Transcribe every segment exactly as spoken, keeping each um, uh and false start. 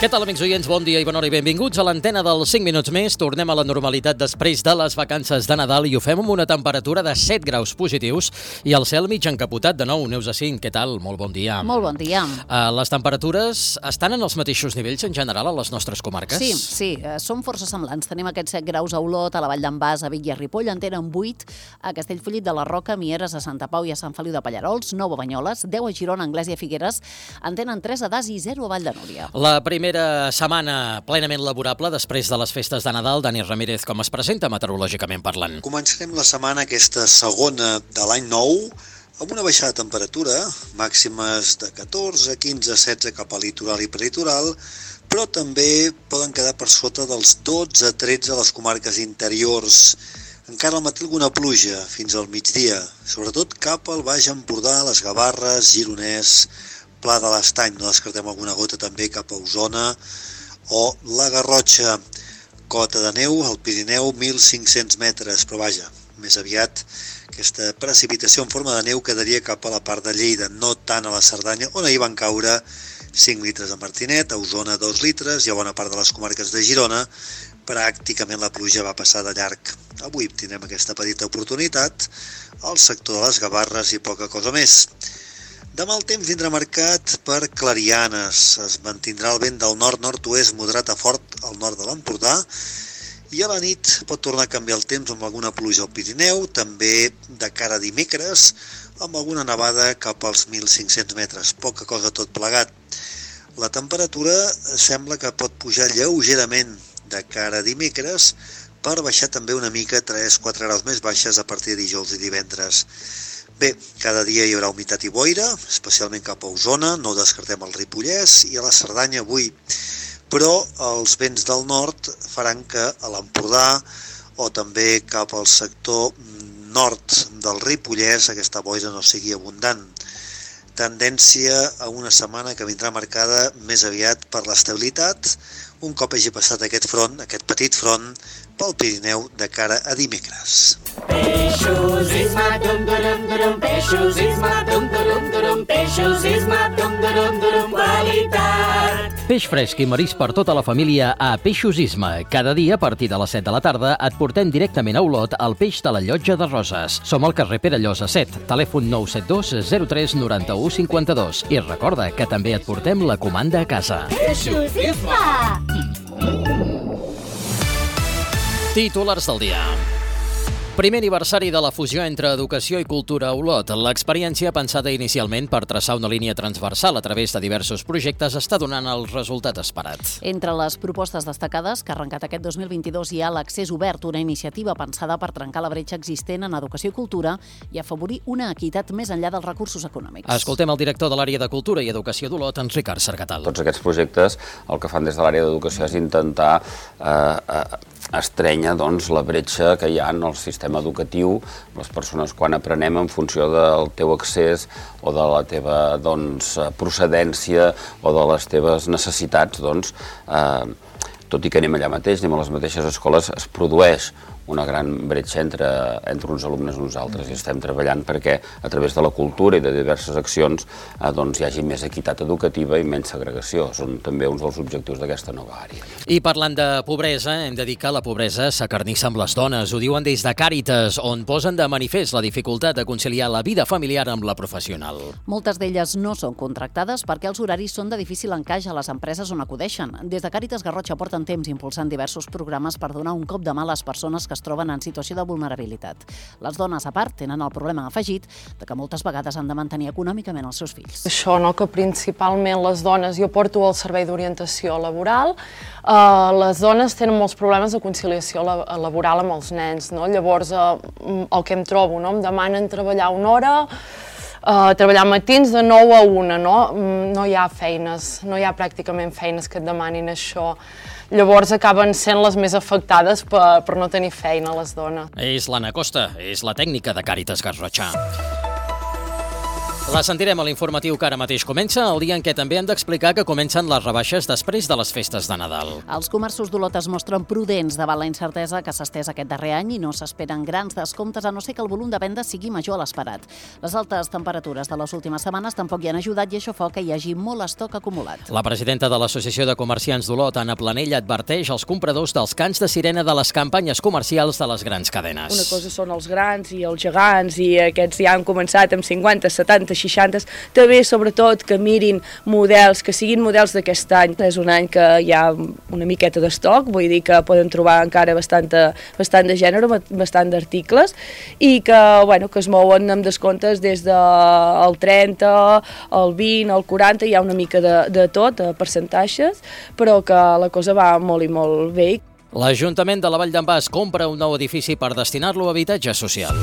Què tal, amics oients? Bon dia i bona hora i benvinguts a l'antena dels cinc minuts més. Tornem a la normalitat després de les vacances de Nadal i ho fem amb una temperatura de set graus positius i el cel mig encapotat de nou. Neus Acín, què tal? Molt bon dia. Molt bon dia. Uh, les temperatures estan en els mateixos nivells en general a les nostres comarques? Sí, sí, uh, són força semblants. Tenim aquests set graus a Olot, a la Vall d'en Bas, a Vic i a Ripoll, en tenen vuit a Castellfollit de la Roca, Mieres, a Santa Pau i a Sant Feliu de Pallerols, nou a Banyoles, deu a Girona, Anglès i a Figueres, en tenen tres a Das i zero a Vall de Núria. La primera setmana plenament laborable després de les festes de Nadal. Dani Ramírez, com es presenta meteorològicament parlant? Començarem la setmana, aquesta segona de l'any nou, amb una baixada de temperatura, màximes de catorze, quinze, setze cap a litoral i prelitoral, però també poden quedar per sota dels dotze a tretze a les comarques interiors. Encara al matí alguna pluja fins al migdia, sobretot cap al Baix Empordà, les Gavarres, Gironès, Pla de l'Estany, no descartem alguna gota també cap a Osona, o la Garrotxa, cota de neu al Pirineu, mil cinc-cents metres, però vaja, més aviat aquesta precipitació en forma de neu quedaria cap a la part de Lleida, no tant a la Cerdanya, on ahir van caure cinc litres a Martinet, a Osona dos litres i a bona part de les comarques de Girona, pràcticament la pluja va passar de llarg. Avui tindrem aquesta petita oportunitat al sector de les Gavarres i poca cosa més. Demà el temps vindrà marcat per clarianes, es mantindrà el vent del nord-nord-oest moderat a fort al nord de l'Empordà i a la nit pot tornar a canviar el temps amb alguna pluja al Pirineu, també de cara a dimecres, amb alguna nevada cap als mil cinc-cents metres, poca cosa tot plegat. La temperatura sembla que pot pujar lleugerament de cara a dimecres per baixar també una mica tres a quatre graus més baixes a partir de dijous i divendres. Bé, cada dia hi haurà humitat i boira, especialment cap a Osona, no descartem el Ripollès i a la Cerdanya avui, però els vents del nord faran que a l'Empordà o també cap al sector nord del Ripollès aquesta boira no sigui abundant. Tendència a una setmana que vindrà marcada més aviat per l'estabilitat, un cop hagi passat aquest front, aquest petit front, pel Pirineu de cara a dimecres. Peixos, isma, dum, durum, durum, peixos, isma, dum, durum, durum, peixos, isma, dum, durum, durum, qualitat. Peix fresc i marisc per tota la família a Peixos Isma. Cada dia, a partir de les set de la tarda, et portem directament a Olot el peix de la Llotja de Roses. Som al carrer Pere Llosa set, telèfon nou set dos zero tres noranta-u cinquanta-dos. I recorda que també et portem la comanda a casa. Peixos, isma! Titulars del dia. Primer aniversari de la fusió entre educació i cultura a Olot. L'experiència, pensada inicialment per traçar una línia transversal a través de diversos projectes, està donant el resultat esperat. Entre les propostes destacades que ha arrencat aquest dos mil vint-i-dos hi ha l'accés obert, una iniciativa pensada per trencar la bretxa existent en educació i cultura i afavorir una equitat més enllà dels recursos econòmics. Escoltem el director de l'àrea de Cultura i Educació d'Olot, en Ricard Sargatal. Tots aquests projectes el que fan des de l'àrea d'educació és intentar eh, eh, estrènyer doncs, la bretxa que hi ha en el sistema educatiu, les persones quan aprenem en funció del teu accés o de la teva doncs, procedència o de les teves necessitats, doncs, eh, tot i que anem allà mateix, anem a les mateixes escoles, es produeix una gran bretxa entre, entre uns alumnes i uns altres i estem treballant perquè a través de la cultura i de diverses accions eh, doncs, hi hagi més equitat educativa i menys segregació. Són també uns dels objectius d'aquesta nova àrea. I parlant de pobresa, hem de dir que la pobresa s'acarnissa amb les dones. Ho diuen des de Càritas, on posen de manifest la dificultat de conciliar la vida familiar amb la professional. Moltes d'elles no són contractades perquè els horaris són de difícil encaix a les empreses on acudeixen. Des de Càritas Garrotxa porten temps impulsant diversos programes per donar un cop de mà a les persones que es troben en situació de vulnerabilitat. Les dones, a part, tenen el problema afegit de que moltes vegades han de mantenir econòmicament els seus fills. Això, no? Que principalment les dones, jo porto el servei d'orientació laboral, eh, les dones tenen molts problemes de conciliació laboral amb els nens, no? Llavors, eh, el que em trobo, no? Em demanen treballar una hora, Uh, treballar matins de nou a una, no? No hi ha feines, no hi ha pràcticament feines que et demanin això. Llavors acaben sent les més afectades per, per no tenir feina, les dones. És l'Anna Costa, és la tècnica de Càritas Garrotxa. La sentirem a l'informatiu que ara mateix comença, el dia en què també hem d'explicar que comencen les rebaixes després de les festes de Nadal. Els comerços d'Olot es mostren prudents davant la incertesa que s'ha estès aquest darrer any i no s'esperen grans descomptes, a no ser que el volum de venda sigui major a l'esperat. Les altes temperatures de les últimes setmanes tampoc hi han ajudat i això fa que hi hagi molt estoc acumulat. La presidenta de l'Associació de Comerciants d'Olot, Anna Planell, adverteix als compradors dels cants de sirena de les campanyes comercials de les grans cadenes. Una cosa són els grans i els gegants i aquests ja han començat amb cinquanta, setanta, seixanta, també sobretot que mirin models, que siguin models d'aquest any. És un any que hi ha una miqueta d'estoc, vull dir que poden trobar encara bastant, bastant de gènere, bastant d'articles i que, bueno, que es mouen amb descomptes des del trenta, el vint, el quaranta, hi ha una mica de, de tot, de percentatges, però que la cosa va molt i molt bé. L'Ajuntament de la Vall d'en Bas compra un nou edifici per destinar-lo a habitatge social.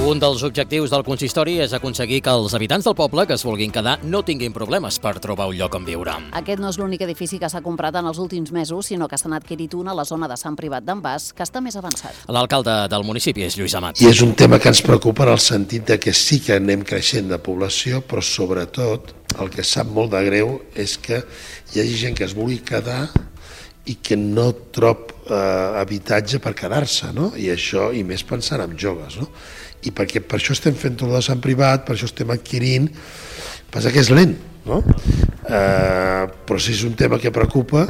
Un dels objectius del consistori és aconseguir que els habitants del poble que es vulguin quedar no tinguin problemes per trobar un lloc on viure. Aquest no és l'únic edifici que s'ha comprat en els últims mesos, sinó que se n'ha adquirit un a la zona de Sant Privat d'en Bas, que està més avançat. L'alcalde del municipi és Lluís Amat. I és un tema que ens preocupa en el sentit de que sí que anem creixent de població, però sobretot el que sap molt de greu és que hi hagi gent que es vulgui quedar i que no trob eh, habitatge per quedar-se, no? I això, i més pensant en joves, no? I perquè per això estem fent tot de Sant Privat, per això estem adquirint, passa que és lent, no? Eh, però sí és un tema que preocupa,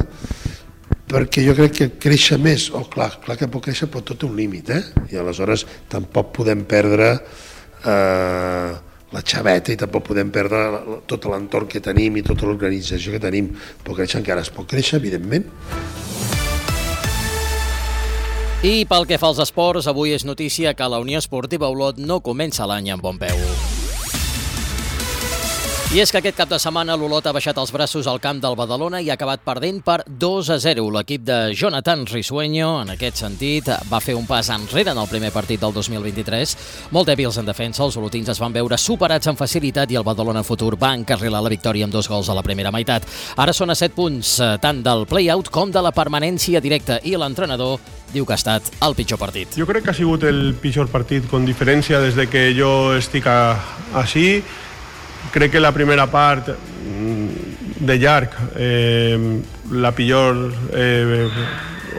perquè jo crec que créixer més, oh clar, clar que pot créixer, però tot té un límit, eh? I aleshores tampoc podem perdre eh, la xaveta i tampoc podem perdre tot l'entorn que tenim i tota l'organització que tenim. Pot créixer encara, es pot créixer, evidentment. I pel que fa als esports, avui és notícia que la Unió Esportiva Olot no comença l'any amb bon peu. I és que aquest cap de setmana l'Olot ha baixat els braços al camp del Badalona i ha acabat perdent per dos a zero. L'equip de Jonathan Risueño, en aquest sentit, va fer un pas enrere en el primer partit del dos mil vint-i-tres. Molt dèbils en defensa, els olotins es van veure superats amb facilitat i el Badalona Futur va encarrilar la victòria amb dos gols a la primera meitat. Ara són a set punts, tant del play-out com de la permanència directa, i l'entrenador diu que ha estat el pitjor partit. Jo crec que ha sigut el pitjor partit, con diferència, des de que jo estic a, així. Crec que la primera part de llarg, eh, la pitjor eh,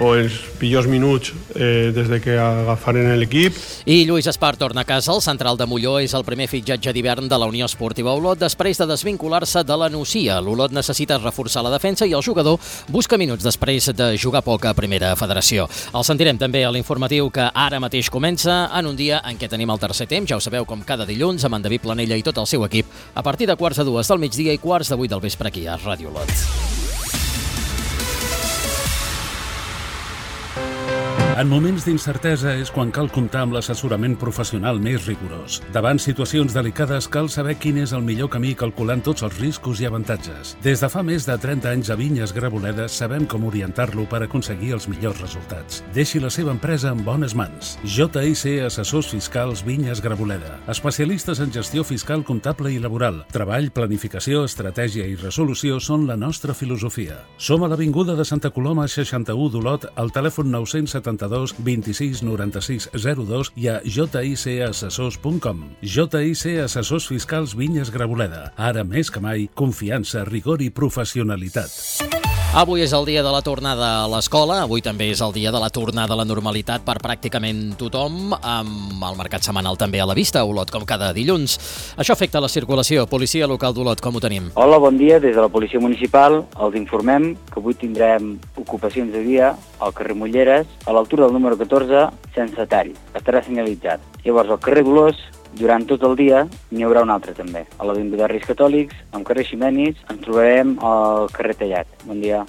o els pitjors minuts eh, des de que agafaren l'equip. I Lluís Espart torna a casa. El central de Molló és el primer fitxatge d'hivern de la Unió Esportiva Olot després de desvincular-se de la Nucia. L'Olot necessita reforçar la defensa i el jugador busca minuts després de jugar poc a Primera Federació. El sentirem també a l'informatiu que ara mateix comença en un dia en què tenim el tercer temps, ja ho sabeu, com cada dilluns, amb en David Planella i tot el seu equip, a partir de quarts de dues del migdia i quarts de vuit del vespre aquí a Ràdio Olot. En moments d'incertesa és quan cal comptar amb l'assessorament professional més rigorós. Davant situacions delicades cal saber quin és el millor camí calculant tots els riscos i avantatges. Des de fa més de trenta anys a Vinyes Graboleda sabem com orientar-lo per aconseguir els millors resultats. Deixi la seva empresa en bones mans. J I C Assessors Fiscals Vinyes Graboleda. Especialistes en gestió fiscal, comptable i laboral. Treball, planificació, estratègia i resolució són la nostra filosofia. Som a l'Avinguda de Santa Coloma seixanta-u d'Olot, al telèfon nou cents setanta-dos vint-i-sis noranta-sis zero dos i a jicassessors punt com. J I C Assessors Fiscals Vinyes Graboleda. Ara més que mai, confiança, rigor i professionalitat. Avui és el dia de la tornada a l'escola, avui també és el dia de la tornada a la normalitat per pràcticament tothom, amb el mercat setmanal també a la vista, Olot, com cada dilluns. Això afecta la circulació. Policia local d'Olot, com ho tenim? Hola, bon dia. Des de la Policia Municipal els informem que avui tindrem ocupacions de via al carrer Molleres, a l'altura del número catorze, sense tall. Estarà senyalitzat. Llavors, al carrer Dolors, durant tot el dia, n'hi haurà un altre també. A l'Avinguda Reis Catòlics, al carrer Ximenis, ens trobarem al carrer Tallat. Bon dia.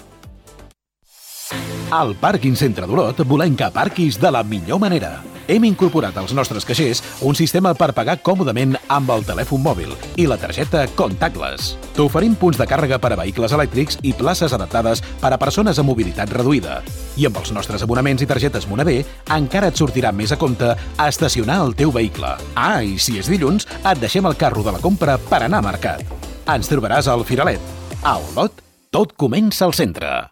Al Pàrquing Centre d'Olot volem que aparquis de la millor manera. Hem incorporat als nostres caixers un sistema per pagar còmodament amb el telèfon mòbil i la targeta contactless. T'oferim punts de càrrega per a vehicles elèctrics i places adaptades per a persones amb mobilitat reduïda. I amb els nostres abonaments i targetes Monavé encara et sortirà més a compte a estacionar el teu vehicle. Ah, i si és dilluns, et deixem el carro de la compra per anar a mercat. Ens trobaràs al Firalet. A Olot, tot comença al centre.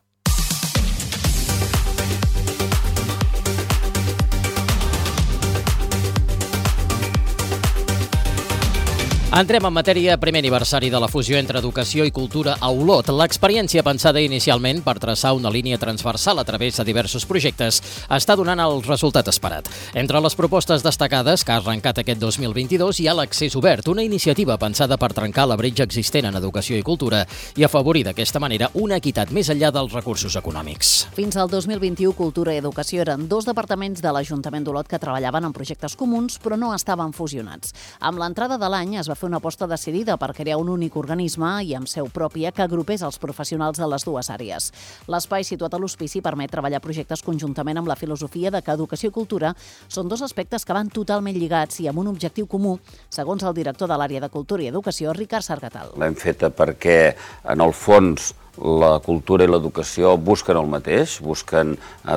Entrem en matèria, primer aniversari de la fusió entre educació i cultura a Olot. L'experiència pensada inicialment per traçar una línia transversal a través de diversos projectes està donant el resultat esperat. Entre les propostes destacades que ha arrencat aquest dos mil vint-i-dos hi ha l'Accés Obert, una iniciativa pensada per trencar la bretxa existent en educació i cultura i afavorir d'aquesta manera una equitat més enllà dels recursos econòmics. Fins al dos mil vint-i-u, Cultura i Educació eren dos departaments de l'Ajuntament d'Olot que treballaven en projectes comuns però no estaven fusionats. Amb l'entrada de l'any es va fer una aposta decidida per crear un únic organisme i amb seu pròpia que agrupés els professionals de les dues àrees. L'espai situat a l'hospici permet treballar projectes conjuntament amb la filosofia de que educació i cultura són dos aspectes que van totalment lligats i amb un objectiu comú, segons el director de l'àrea de Cultura i Educació, Ricard Sargatal. L'hem feta perquè, en el fons, la cultura i l'educació busquen el mateix, busquen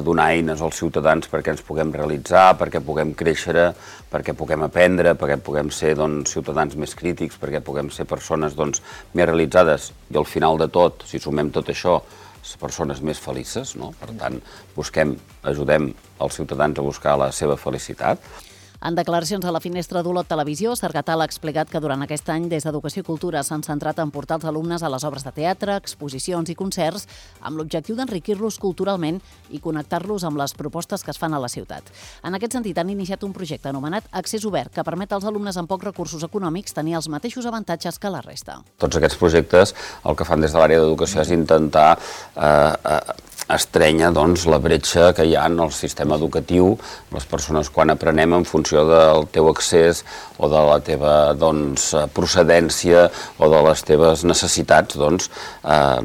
donar eines als ciutadans perquè ens puguem realitzar, perquè puguem créixer, perquè puguem aprendre, perquè puguem ser doncs, ciutadans més crítics, perquè puguem ser persones doncs, més realitzades i al final de tot, si sumem tot això, persones més felices, no? Per tant, busquem, ajudem els ciutadans a buscar la seva felicitat. En declaracions a la finestra d'Olot Televisió, Sargatal ha explicat que durant aquest any des d'Educació i Cultura s'han centrat en portar els alumnes a les obres de teatre, exposicions i concerts amb l'objectiu d'enriquir-los culturalment i connectar-los amb les propostes que es fan a la ciutat. En aquest sentit, han iniciat un projecte anomenat Accés Obert que permet als alumnes amb pocs recursos econòmics tenir els mateixos avantatges que la resta. Tots aquests projectes el que fan des de l'àrea d'educació és intentar eh, eh, estrènyer doncs, la bretxa que hi ha en el sistema educatiu, les persones quan aprenem en funció del teu accés o de la teva doncs, procedència o de les teves necessitats, doncs, eh,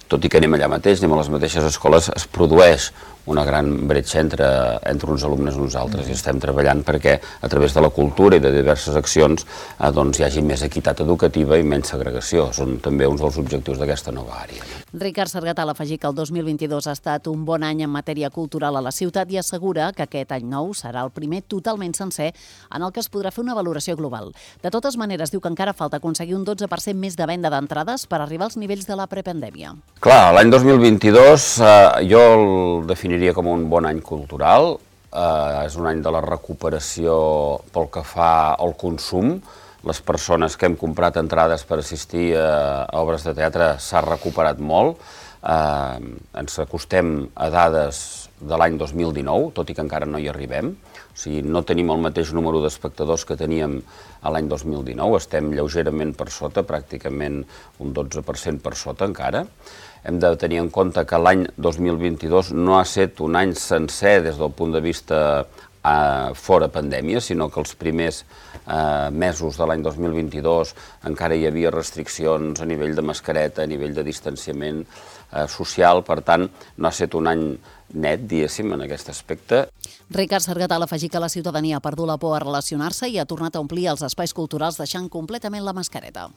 tot i que anem allà mateix, anem a les mateixes escoles, es produeix una gran bretxa entre, entre uns alumnes i uns altres i estem treballant perquè a través de la cultura i de diverses accions eh, doncs, hi hagi més equitat educativa i menys segregació. Són també uns dels objectius d'aquesta nova àrea. Ricard Sargatal afegir que el dos mil vint-i-dos ha estat un bon any en matèria cultural a la ciutat i assegura que aquest any nou serà el primer totalment sencer en el que es podrà fer una valoració global. De totes maneres, diu que encara falta aconseguir un dotze per cent més de venda d'entrades per arribar als nivells de la prepandèmia. Clar, l'any dos mil vint-i-dos eh, jo el definiria com un bon any cultural. Eh, és un any de la recuperació pel que fa al consum. Les persones que hem comprat entrades per assistir a obres de teatre s'ha recuperat molt. Eh, ens acostem a dades de l'any dos mil dinou, tot i que encara no hi arribem. O sigui, no tenim el mateix número d'espectadors que teníem a l'any dos mil dinou, estem lleugerament per sota, pràcticament un dotze per cent per sota encara. Hem de tenir en compte que l'any dos mil vint-i-dos no ha estat un any sencer des del punt de vista eh, fora pandèmia, sinó que els primers eh, mesos de l'any dos mil vint-i-dos encara hi havia restriccions a nivell de mascareta, a nivell de distanciament eh, social, per tant, no ha estat un any net, diguéssim, en aquest aspecte. Ricard Sargatal afegir que la ciutadania ha perdut la por a relacionar-se i ha tornat a omplir els espais culturals deixant completament la mascareta.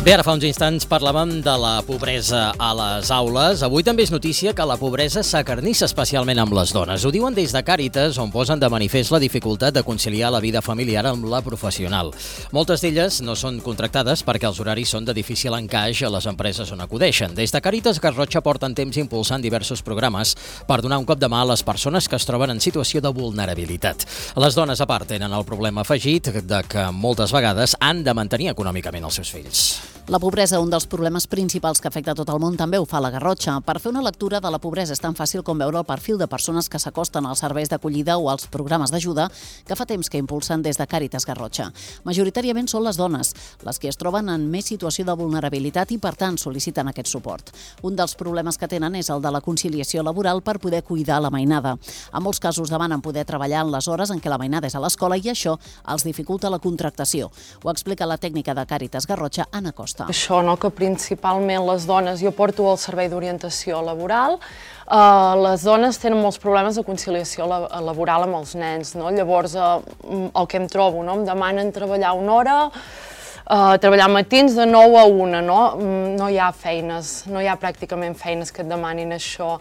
Bé, ara fa uns instants parlàvem de la pobresa a les aules. Avui també és notícia que la pobresa s'acarnissa especialment amb les dones. Ho diuen des de Càritas, on posen de manifest la dificultat de conciliar la vida familiar amb la professional. Moltes d'elles no són contractades perquè els horaris són de difícil encaix a les empreses on acudeixen. Des de Càritas Garrotxa porten temps impulsant diversos programes per donar un cop de mà a les persones que es troben en situació de vulnerabilitat. Les dones, a part, tenen el problema afegit de que moltes vegades han de mantenir econòmicament els seus fills. La pobresa, un dels problemes principals que afecta tot el món, també ho fa la Garrotxa. Per fer una lectura de la pobresa és tan fàcil com veure el perfil de persones que s'acosten als serveis d'acollida o als programes d'ajuda que fa temps que impulsen des de Càritas Garrotxa. Majoritàriament són les dones, les que es troben en més situació de vulnerabilitat i, per tant, sol·liciten aquest suport. Un dels problemes que tenen és el de la conciliació laboral per poder cuidar la mainada. En molts casos demanen poder treballar en les hores en què la mainada és a l'escola i això els dificulta la contractació. Ho explica la tècnica de Càritas Garrotxa, Anna Costa. Això, no? Que principalment les dones, jo porto el servei d'orientació laboral, uh, les dones tenen molts problemes de conciliació la, laboral amb els nens, no? Llavors uh, el que em trobo, no? Em demanen treballar una hora, uh, treballar matins de nou a una, no? No hi ha feines, no hi ha pràcticament feines que et demanin això.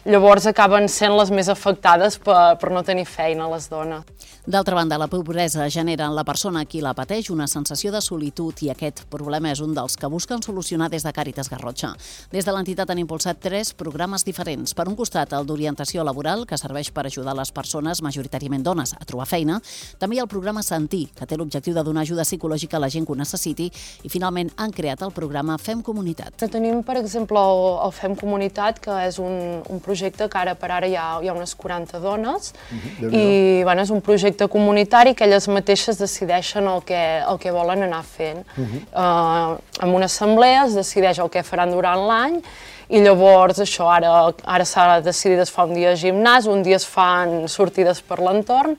llavors acaben sent les més afectades per, per no tenir feina les dones. D'altra banda, la pobresa genera en la persona a qui la pateix una sensació de solitud i aquest problema és un dels que busquen solucionar des de Càritas Garrotxa. Des de l'entitat han impulsat tres programes diferents. Per un costat, el d'orientació laboral, que serveix per ajudar les persones, majoritàriament dones, a trobar feina. També hi ha el programa Sentir, que té l'objectiu de donar ajuda psicològica a la gent que ho necessiti. I finalment han creat el programa Fem Comunitat. Tenim, per exemple, el, el Fem Comunitat, que és un, un projecte que ara per ara hi ha, hi ha unes quaranta dones. Uh-huh. I bueno, és un projecte comunitari que elles mateixes decideixen el que, el que volen anar fent. Uh-huh. uh, en una assemblea es decideix el que faran durant l'any i llavors això ara, ara s'ha decidit es fa un dia de gimnàs, un dia es fan sortides per l'entorn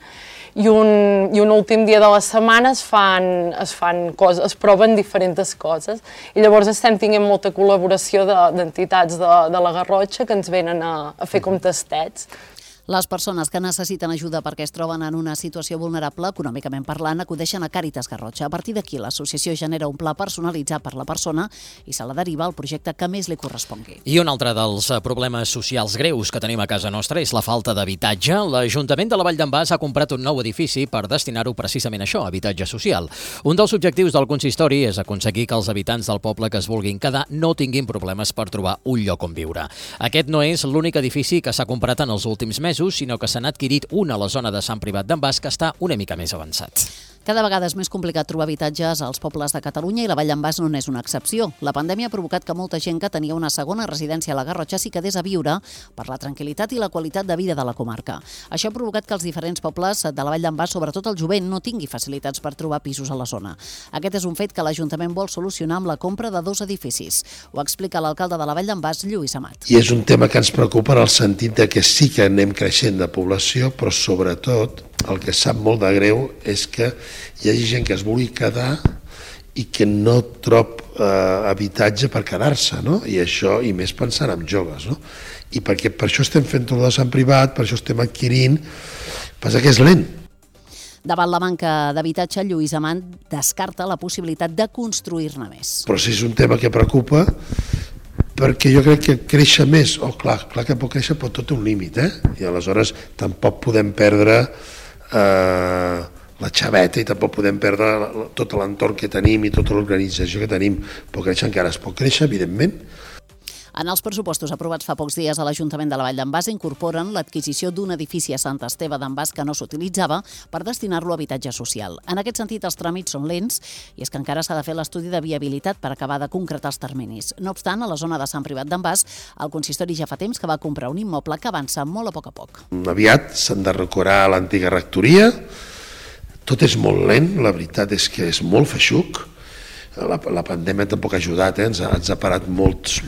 i un, i un últim dia de la setmana es fan, es fan coses, es proven diferents coses i llavors estem tinguent molta col·laboració d'entitats de, de la Garrotxa que ens venen a, a fer com tastets. Les persones que necessiten ajuda perquè es troben en una situació vulnerable, econòmicament parlant, acudeixen a Càritas Garrotxa. A partir d'aquí, l'associació genera un pla personalitzat per la persona i se la deriva al projecte que més li correspongui. I un altre dels problemes socials greus que tenim a casa nostra és la falta d'habitatge. L'Ajuntament de la Vall d'en Bas ha comprat un nou edifici per destinar-ho precisament a això, habitatge social. Un dels objectius del consistori és aconseguir que els habitants del poble que es vulguin quedar no tinguin problemes per trobar un lloc on viure. Aquest no és l'únic edifici que s'ha comprat en els últims mesos, sinó que se n'ha adquirit una a la zona de Sant Privat d'en Bas que està una mica més avançat. Cada vegada és més complicat trobar habitatges als pobles de Catalunya i la Vall d'en Bas no n'és una excepció. La pandèmia ha provocat que molta gent que tenia una segona residència a la Garrotxa s'hi quedés a viure per la tranquil·litat i la qualitat de vida de la comarca. Això ha provocat que els diferents pobles de la Vall d'en Bas, sobretot el jovent, no tingui facilitats per trobar pisos a la zona. Aquest és un fet que l'Ajuntament vol solucionar amb la compra de dos edificis. Ho explica l'alcalde de la Vall d'en Bas, Lluís Amat. I és un tema que ens preocupa en el sentit de que sí que anem creixent de població, però sobretot el que sap molt de greu és que hi hagi gent que es vulgui quedar i que no trob eh, habitatge per quedar-se, no? I això, i més pensant en joves, no? I perquè per això estem fent tot de Sant Privat, per això estem adquirint, passa que és lent. Davant la manca d'habitatge, Lluís Amant descarta la possibilitat de construir-ne més. Però si és un tema que preocupa, perquè jo crec que créixer més, oh clar, clar que pot créixer, però tot té un límit, eh? I aleshores tampoc podem perdre eh, la xaveta i tampoc podem perdre tot l'entorn que tenim i tota l'organització que tenim. Pot créixer encara, es pot créixer, evidentment. En els pressupostos aprovats fa pocs dies a l'Ajuntament de la Vall d'en Bas incorporen l'adquisició d'un edifici a Sant Esteve d'en Bas que no s'utilitzava per destinar-lo a habitatge social. En aquest sentit, els tràmits són lents i és que encara s'ha de fer l'estudi de viabilitat per acabar de concretar els terminis. No obstant, a la zona de Sant Privat d'en Bas, el consistori ja fa temps que va comprar un immoble que avança molt a poc a poc. Aviat s'han de decorar l'antiga rectoria, tot és molt lent, la veritat és que és molt feixuc. La, la pandèmia tampoc ha ajudat, eh? ens, ha, ens ha parat molts,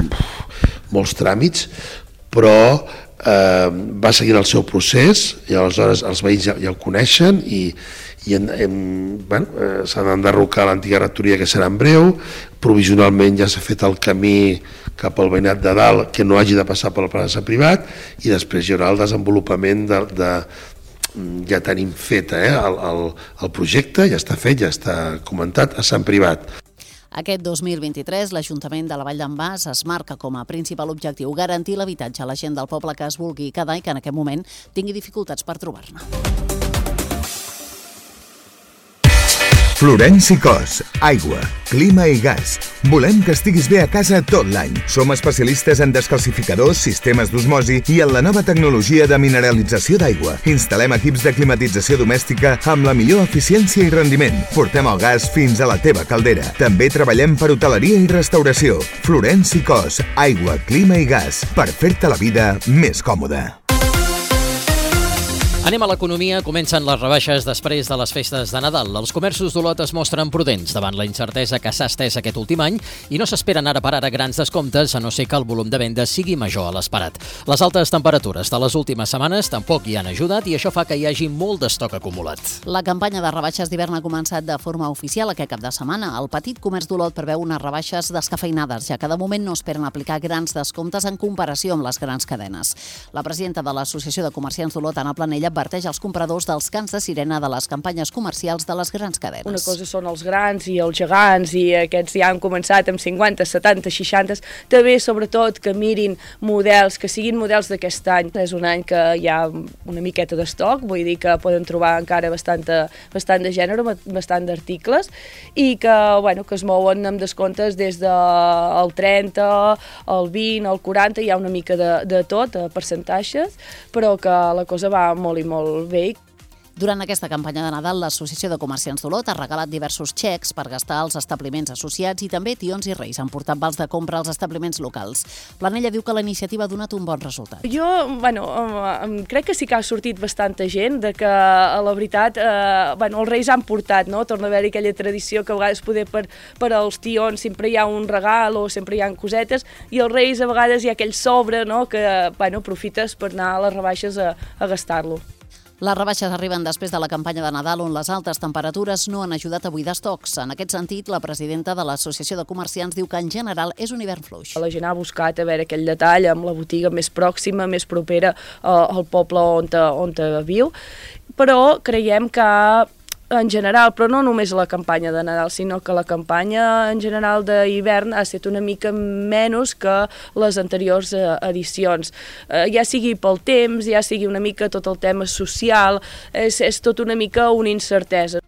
molts tràmits, però eh, va seguint el seu procés i aleshores els veïns ja, ja el coneixen i, i en, en, bueno, eh, s'han d'enderrocar l'antiga rectoria que serà en breu, provisionalment ja s'ha fet el camí cap al veïnat de dalt que no hagi de passar pel pla de Sant Privat i després hi haurà el desenvolupament de, de ja tenim fet eh, el, el, el projecte, ja està fet, ja està comentat a Sant Privat. Aquest dos mil vint-i-tres, l'Ajuntament de la Vall d'en Bas es marca com a principal objectiu garantir l'habitatge a la gent del poble que es vulgui quedar i que en aquest moment tingui dificultats per trobar-ne. Florenci Cos, aigua, clima i gas. Volem que estiguis bé a casa tot l'any. Som especialistes en descalcificadors, sistemes d'osmosi i en la nova tecnologia de mineralització d'aigua. Instal·lem equips de climatització domèstica amb la millor eficiència i rendiment. Portem el gas fins a la teva caldera. També treballem per hoteleria i restauració. Florenci Cos, aigua, clima i gas. Per fer-te la vida més còmoda. Anem a l'economia. Comencen les rebaixes després de les festes de Nadal. Els comerços d'Olot es mostren prudents davant la incertesa que s'ha estès aquest últim any i no s'esperen ara per ara grans descomptes, a no ser que el volum de vendes sigui major a l'esperat. Les altes temperatures de les últimes setmanes tampoc hi han ajudat i això fa que hi hagi molt d'estoc acumulat. La campanya de rebaixes d'hivern ha començat de forma oficial aquest cap de setmana. El petit comerç d'Olot preveu unes rebaixes descafeinades, ja que de moment no esperen aplicar grans descomptes en comparació amb les grans cadenes. La presidenta de l'Associació de Comerciants d'Olot, Anna Planella, adverteix als compradors dels cants de sirena de les campanyes comercials de les grans cadenes. Una cosa són els grans i els gegants i aquests ja han començat amb cinquanta, setanta, seixanta. També, sobretot, que mirin models, que siguin models d'aquest any. És un any que hi ha una miqueta d'estoc, vull dir que poden trobar encara bastant, bastant de gènere, bastant d'articles i que, bueno, que es mouen amb descomptes des del trenta, el vint, el quaranta, hi ha una mica de, de tot, a percentatges, però que la cosa va molt i molt bé. Durant aquesta campanya de Nadal, l'Associació de Comerciants d'Olot ha regalat diversos xecs per gastar als establiments associats i també tions i reis han portat vals de compra als establiments locals. Planella diu que la iniciativa ha donat un bon resultat. Jo, bueno, crec que sí que ha sortit bastanta gent, de que, la veritat, eh, bueno, els reis han portat, no? Torna a haver-hi aquella tradició que a vegades poder per, per als tions sempre hi ha un regal o sempre hi ha cosetes i els reis a vegades hi ha aquell sobre, no? Que, bueno, aprofites per anar a les rebaixes a, a gastar-lo. Les rebaixes arriben després de la campanya de Nadal on les altes temperatures no han ajudat a buidar estocs. En aquest sentit, la presidenta de l'Associació de Comerciants diu que en general és un hivern fluix. La gent ha buscat a veure aquell detall amb la botiga més pròxima, més propera al poble on, on viu, però creiem que en general, però no només la campanya de Nadal, sinó que la campanya en general d'hivern ha estat una mica menys que les anteriors edicions. Ja sigui pel temps, ja sigui una mica tot el tema social, és, és tot una mica una incertesa.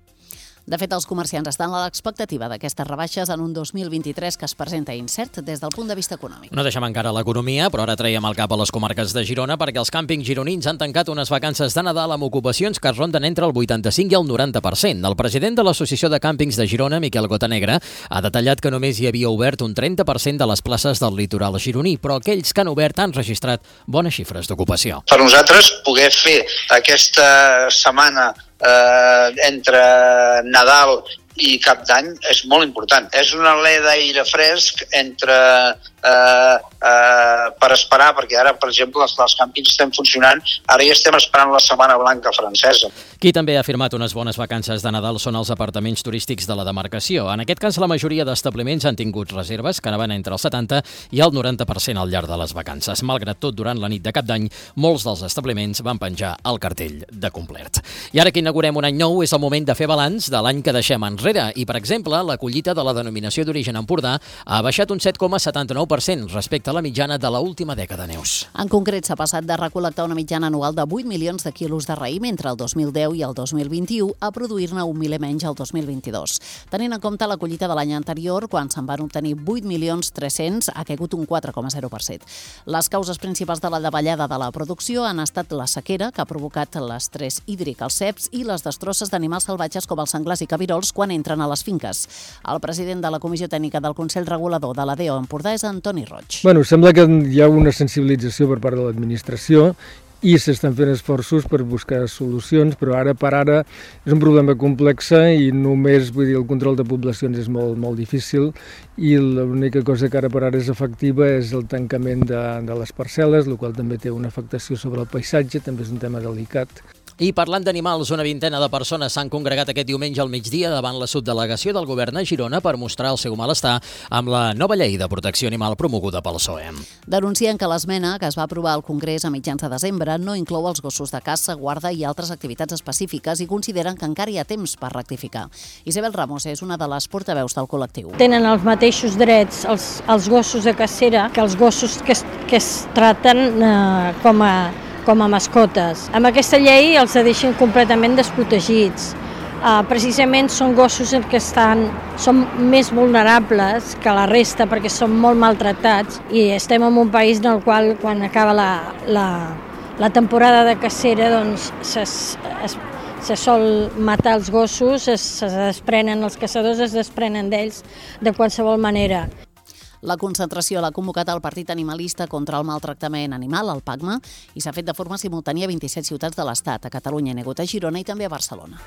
De fet, els comerciants estan a l'expectativa d'aquestes rebaixes en un dos mil vint-i-tres que es presenta incert des del punt de vista econòmic. No deixem encara l'economia, però ara traiem el cap a les comarques de Girona perquè els càmpings gironins han tancat unes vacances de Nadal amb ocupacions que ronden entre el vuitanta-cinc i el noranta per cent. El president de l'Associació de Càmpings de Girona, Miquel Gotanegra, ha detallat que només hi havia obert un trenta per cent de les places del litoral gironí, però aquells que han obert han registrat bones xifres d'ocupació. Per nosaltres, poder fer aquesta setmana Eh, entre Nadal i Cap d'Any és molt important. És una alè d'aire fresc entre eh, eh, per esperar, perquè ara, per exemple, els, els càmpings estem funcionant, ara ja estem esperant la Setmana Blanca francesa. Qui també ha firmat unes bones vacances de Nadal són els apartaments turístics de la demarcació. En aquest cas, la majoria d'establiments han tingut reserves que anaven entre el setanta i el noranta per cent al llarg de les vacances. Malgrat tot, durant la nit de Cap d'Any, molts dels establiments van penjar el cartell de complet. I ara que inaugurem un any nou, és el moment de fer balanç de l'any que deixem enrere. I, per exemple, la collita de la denominació d'origen Empordà ha baixat un set coma setanta-nou per cent respecte a la mitjana de l'última dècada, Neus. En concret, s'ha passat de recol·lectar una mitjana anual de vuit milions de quilos de raïm entre el dos mil deu i el dos mil vint-i-u a produir-ne un miler menys el dos mil vint-i-dos. Tenint en compte la collita de l'any anterior, quan se'n van obtenir vuit milions tres-cents, ha caigut un quatre coma zero per cent. Les causes principals de la davallada de la producció han estat la sequera, que ha provocat l'estrès hídric als ceps, i les destrosses d'animals salvatges com els senglars i cabirols quan entren a les finques. El president de la Comissió Tècnica del Consell Regulador de l'A D O Empordà és Antoni Roig. Bueno, sembla que hi ha una sensibilització per part de l'administració i s'estan fent esforços per buscar solucions, però ara per ara és un problema complex i només, vull dir, el control de poblacions és molt, molt difícil i l'única cosa que ara per ara és efectiva és el tancament de, de les parcel·les, el qual també té una afectació sobre el paisatge, també és un tema delicat. I parlant d'animals, una vintena de persones s'han congregat aquest diumenge al migdia davant la subdelegació del govern a Girona per mostrar el seu malestar amb la nova llei de protecció animal promoguda pel P S O E. Denuncien que l'esmena que es va aprovar al Congrés a mitjans de desembre no inclou els gossos de caça, guarda i altres activitats específiques i consideren que encara hi ha temps per rectificar. Isabel Ramos és una de les portaveus del col·lectiu. Tenen els mateixos drets els, els gossos de cacera que els gossos que es, que es traten eh, com a com a mascotes. Amb aquesta llei els deixen completament desprotegits. Uh, precisament són gossos que estan, són més vulnerables que la resta perquè són molt maltractats i estem en un país en el qual quan acaba la, la, la temporada de cacera doncs se, es, se sol matar els gossos, es, se desprenen, els caçadors es desprenen d'ells de qualsevol manera. La concentració l'ha convocat el Partit Animalista contra el Maltractament Animal, el PACMA, i s'ha fet de forma simultània a vint-i-set ciutats de l'Estat, a Catalunya, a Negut, a Girona i també a Barcelona.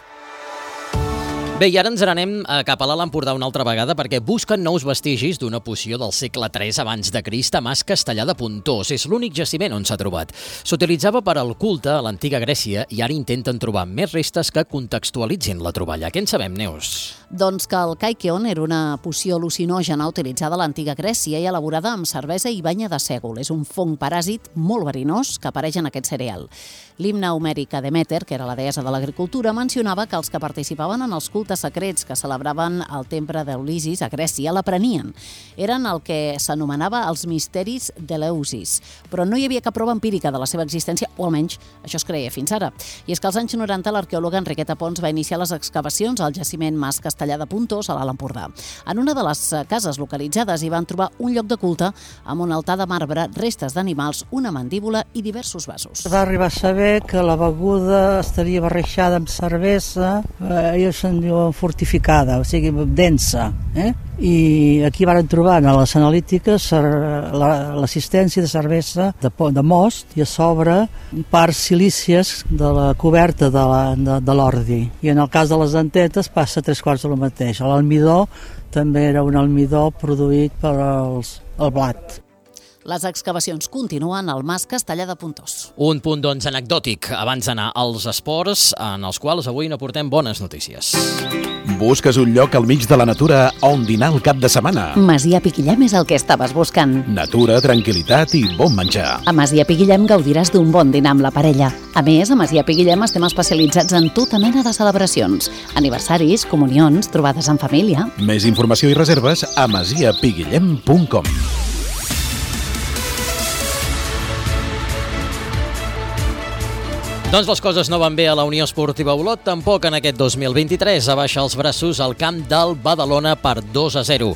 Bé, i ara ens n'anem cap a l'Alt Empordà una altra vegada perquè busquen nous vestigis d'una poció del segle tres abans de Crist a Mas Castellar de Pontós. És l'únic jaciment on s'ha trobat. S'utilitzava per al culte a l'antiga Grècia i ara intenten trobar més restes que contextualitzin la troballa. Què en sabem, Neus? Doncs que el kaikeon era una poció al·lucinògena utilitzada a l'antiga Grècia i elaborada amb cervesa i banya de sègol. És un fong paràsit molt verinós que apareix en aquest cereal. L'himne homèric a Demeter, que era la deessa de l'agricultura, mencionava que els que participaven en els cultes secrets que celebraven al temple d'Ulissis a Grècia l'aprenien. Eren el que s'anomenava els misteris d'Eleusis, però no hi havia cap prova empírica de la seva existència, o almenys això es creia fins ara. I és que als anys noranta l'arqueòloga Enriqueta Pons va iniciar les excavacions al jaciment Mas Castellar de Pontós, a l'Alt Empordà. En una de les cases localitzades hi van trobar un lloc de culte amb un altar de marbre, restes d'animals, una mandíbula i diversos vasos. Va arribar a saber que la beguda estaria barrejada amb cervesa, eh, ells se'n diuen fortificada, o sigui, densa. Eh? I aquí van trobar a les analítiques l'assistència de cervesa de, de most i a sobre parts silícies de la coberta de, la, de, de l'ordi. I en el cas de les dentetes passa tres quarts del mateix. L'almidó també era un almidó produït per els, el blat. Les excavacions continuen al Mas Castellar de Pontós. Un punt, doncs, anecdòtic abans d'anar als esports, en els quals avui no portem bones notícies. Busques un lloc al mig de la natura on dinar el cap de setmana. Masia Piquillem és el que estaves buscant. Natura, tranquil·litat i bon menjar. A Masia Piquillem gaudiràs d'un bon dinar amb la parella. A més, a Masia Piquillem estem especialitzats en tota mena de celebracions. Aniversaris, comunions, trobades en família. Més informació i reserves a masia piguillem punt com. Doncs les coses no van bé a la Unió Esportiva Olot, tampoc en aquest dos mil vint-i-tres. Abaixa els braços al camp del Badalona per dos a zero.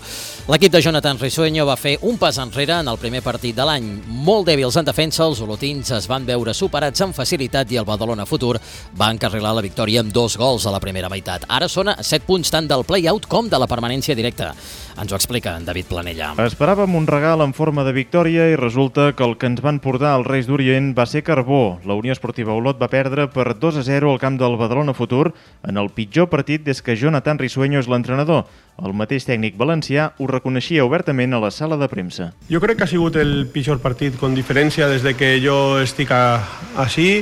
L'equip de Jonathan Risueño va fer un pas enrere en el primer partit de l'any. Molt dèbils en defensa, els olotins es van veure superats amb facilitat i el Badalona Futur va encarrilar la victòria amb dos gols a la primera meitat. Ara són a set punts tant del play-out com de la permanència directa. Ens ho explica en David Planella. Esperàvem un regal en forma de victòria i resulta que el que ens van portar els Reis d'Orient va ser carbó. La Unió Esportiva Olot va perdre per dos a zero al camp del Badalona Futur en el pitjor partit des que Jonathan Risueño és l'entrenador. El mateix tècnic valencià ho reconeixia obertament a la sala de premsa. Jo crec que ha sigut el pitjor partit con diferència des de que jo estic així.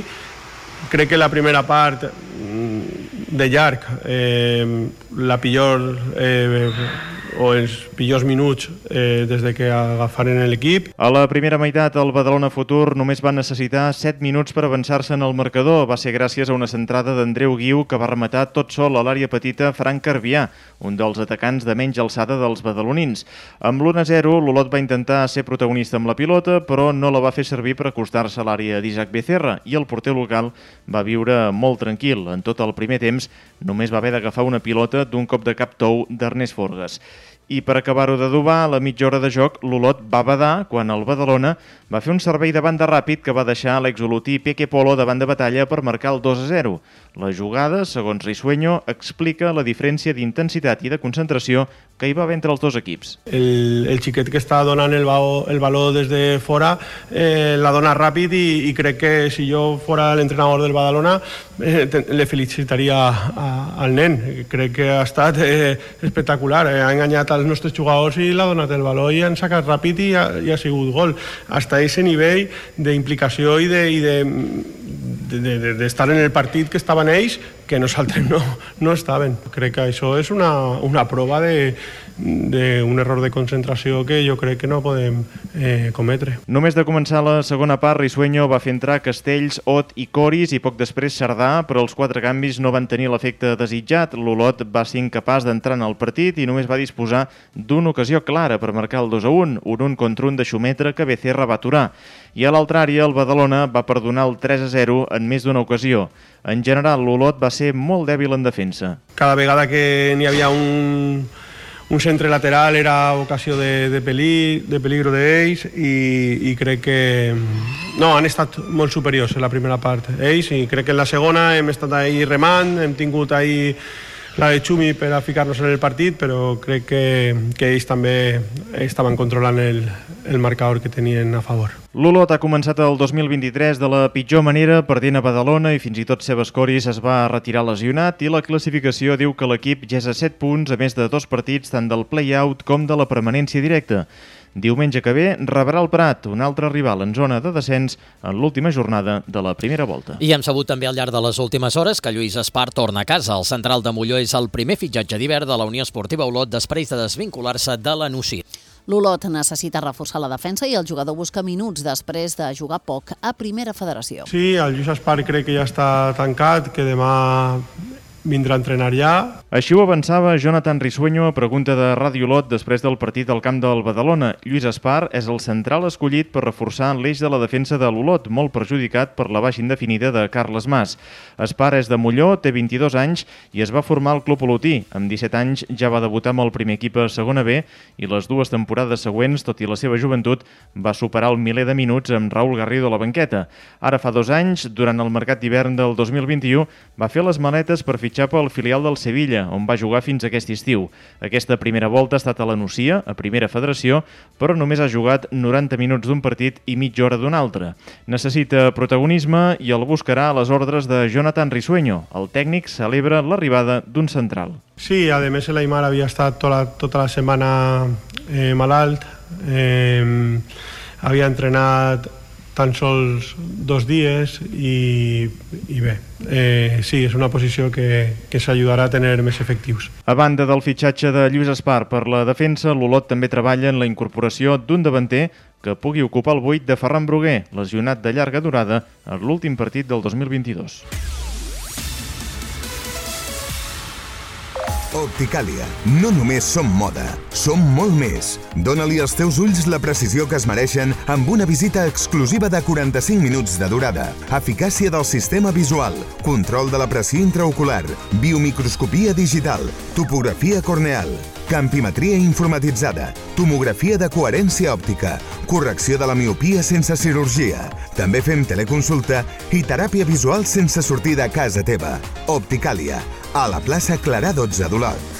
Crec que la primera part de llarg, eh, la pitjor eh, o els pitjors minuts eh, des de que agafaren l'equip. A la primera meitat, el Badalona Futur només va necessitar set minuts per avançar-se en el marcador. Va ser gràcies a una centrada d'Andreu Guiu que va rematar tot sol a l'àrea petita Frank Carvià, un dels atacants de menys alçada dels badalonins. Amb l'u a zero, l'Olot va intentar ser protagonista amb la pilota, però no la va fer servir per acostar-se a l'àrea d'Isaac Becerra i el porter local va viure molt tranquil. En tot el primer temps, només va haver d'agafar una pilota d'un cop de cap tou d'Ernest Forgas. I per acabar-ho d'adobar, a la mitja hora de joc, l'Olot va badar quan el Badalona va fer un servei de banda ràpid que va deixar l'exolotí Peque Polo davant de batalla per marcar el dos a zero. La jugada, segons Risueño, explica la diferència d'intensitat i de concentració que hi va haver entre els dos equips. El, el xiquet que està donant el, bao, el baló des de fora eh, la dona ràpid i, i crec que si jo fora l'entrenador del Badalona eh, te, le felicitaria a, al nen. Crec que ha estat eh, espectacular. Eh, ha enganyat als nostres jugadors i l'ha donat el baló i han sacat ràpid i ha, i ha sigut gol. Hasta ese nivell d'implicació i de... I de d'estar de, de, de en el partit que estaven ells, que nosaltres no, no estaven. Crec que això és una, una prova d'un error de concentració que jo crec que no podem eh, cometre. Només de començar la segona part, Risueño va fer entrar Castells, Ot i Coris i poc després Cerdà, però els quatre canvis no van tenir l'efecte desitjat. L'Olot va ser incapaç d'entrar en el partit i només va disposar d'una ocasió clara per marcar el dos a un, un un contra un de Xumetra que Becerra va aturar. I a l'altra àrea, el Badalona va perdonar el tres a zero en més d'una ocasió. En general, l'Olot va ser molt dèbil en defensa. Cada vegada que n'hi havia un, un centre lateral era ocasió de, de, peli, de peligro d'ells i, i crec que no, han estat molt superiors en la primera part ells i crec que en la segona hem estat ahí remant, hem tingut ahí la de Xumi per a ficar-nos en el partit, però crec que, que ells també estaven controlant el, el marcador que tenien a favor. L'Olot ha començat el dos mil vint-i-tres de la pitjor manera, perdent a Badalona i fins i tot Sebas Coris es va retirar lesionat i la classificació diu que l'equip ja és a set punts a més de dos partits tant del play-out com de la permanència directa. Diumenge que ve rebrà el Prat, un altre rival en zona de descens en l'última jornada de la primera volta. I hem sabut també al llarg de les últimes hores que Lluís Espart torna a casa. El central de Molló és el primer fitxatge d'hivern de la Unió Esportiva Olot després de desvincular-se de la Nucí. L'Olot necessita reforçar la defensa i el jugador busca minuts després de jugar poc a Primera Federació. Sí, el Lluís Espart crec que ja està tancat, que demà vindrà a entrenar ja. Així ho avançava Jonathan Risueño a pregunta de Ràdio Olot després del partit al camp del Badalona. Lluís Espart és el central escollit per reforçar l'eix de la defensa de l'Olot, molt perjudicat per la baixa indefinida de Carles Mas. Espart és de Molló, té vint-i-dos anys i es va formar al club olotí. Amb disset anys ja va debutar amb el primer equip a segona B i les dues temporades següents, tot i la seva joventut, va superar el miler de minuts amb Raúl Garrido a la banqueta. Ara fa dos anys, durant el mercat d'hivern del dos mil vint-i-u, va fer les maletes per fitxar pel filial del Sevilla, on va jugar fins aquest estiu. Aquesta primera volta ha estat a la Nucia, a Primera Federació, però només ha jugat noranta minuts d'un partit i mitja hora d'un altre. Necessita protagonisme i el buscarà a les ordres de Jonathan Risueño. El tècnic celebra l'arribada d'un central. Sí, a més el Aimar havia estat tota la, tota la setmana eh, malalt, eh, havia entrenat tan sols dos dies i, i bé, eh, sí, és una posició que, que s'ajudarà a tenir més efectius. A banda del fitxatge de Lluís Espart per la defensa, l'Olot també treballa en la incorporació d'un davanter que pugui ocupar el buit de Ferran Bruguer, lesionat de llarga durada en l'últim partit del dos mil vint-i-dos. Opticàlia. No només som moda, som molt més. Dóna-li als teus ulls la precisió que es mereixen amb una visita exclusiva de quaranta-cinc minuts de durada. Eficàcia del sistema visual, control de la pressió intraocular, biomicroscopia digital, topografia corneal, campimetria informatitzada, tomografia de coherència òptica, correcció de la miopia sense cirurgia. També fem teleconsulta i teràpia visual sense sortir de casa teva. Opticàlia, a la plaça Clarà dotze d'Olot.